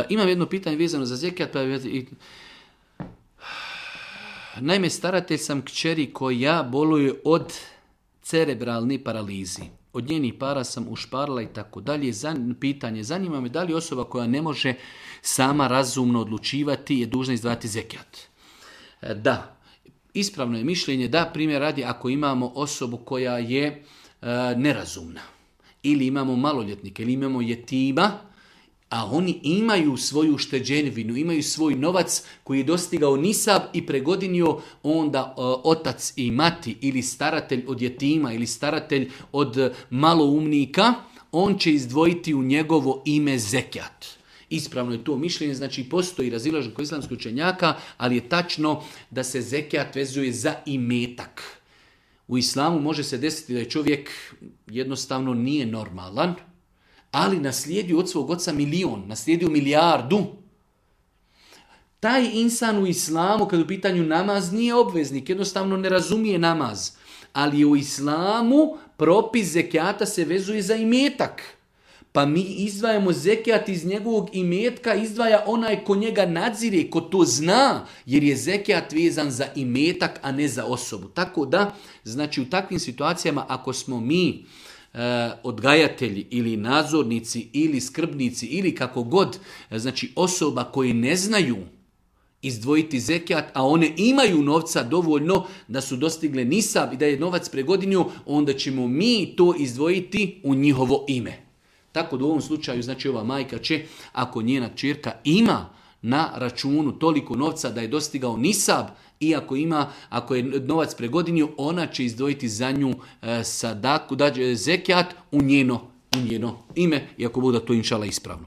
Imam jedno pitanje vezano za zekijat. Naime, staratelj sam kćeri koja boluje od cerebralne paralizi. Od njenih para sam ušparala i tako dalje. Pitanje, zanima me da li osoba koja ne može sama razumno odlučivati je dužna izdvajati zekijat. Da, ispravno je mišljenje da, primjer radi, ako imamo osobu koja je nerazumna, ili imamo maloljetnike, ili imamo jetima, a oni imaju svoju ušteđevinu, imaju svoj novac koji je dostigao nisab i pregodinio, onda otac i mati ili staratelj od jetima ili staratelj od maloumnika, on će izdvojiti u njegovo ime zekijat. Ispravno je to mišljenje, znači postoji razilaženje kod islamskih učenjaka, ali je tačno da se zekijat vezuje za imetak. U islamu može se desiti da je čovjek jednostavno nije normalan, ali naslijedio od svog oca milion, naslijedio milijardu. Taj insan u islamu, kad u pitanju namaz, nije obveznik, jednostavno ne razumije namaz. Ali u islamu propis zekijata se vezuje za imetak. Pa mi izdvajamo zekijat iz njegovog imetka, izdvaja onaj ko njega nadzire, ko to zna, jer je zekijat vezan za imetak, a ne za osobu. Tako da, znači u takvim situacijama, ako smo mi odgajatelji ili nadzornici ili skrbnici ili kako god, znači osoba koji ne znaju izdvojiti zekijat, a one imaju novca dovoljno da su dostigle nisab i da je novac pregodinio, onda ćemo mi to izdvojiti u njihovo ime. Tako da u ovom slučaju, znači ova majka će, ako njena kćerka ima na računu toliko novca da je dostigao nisab, i ako je novac pregodinio, ona će izdvojiti za nju sadaku, zekijat u njeno ime, i ako bude to inšala ispravno.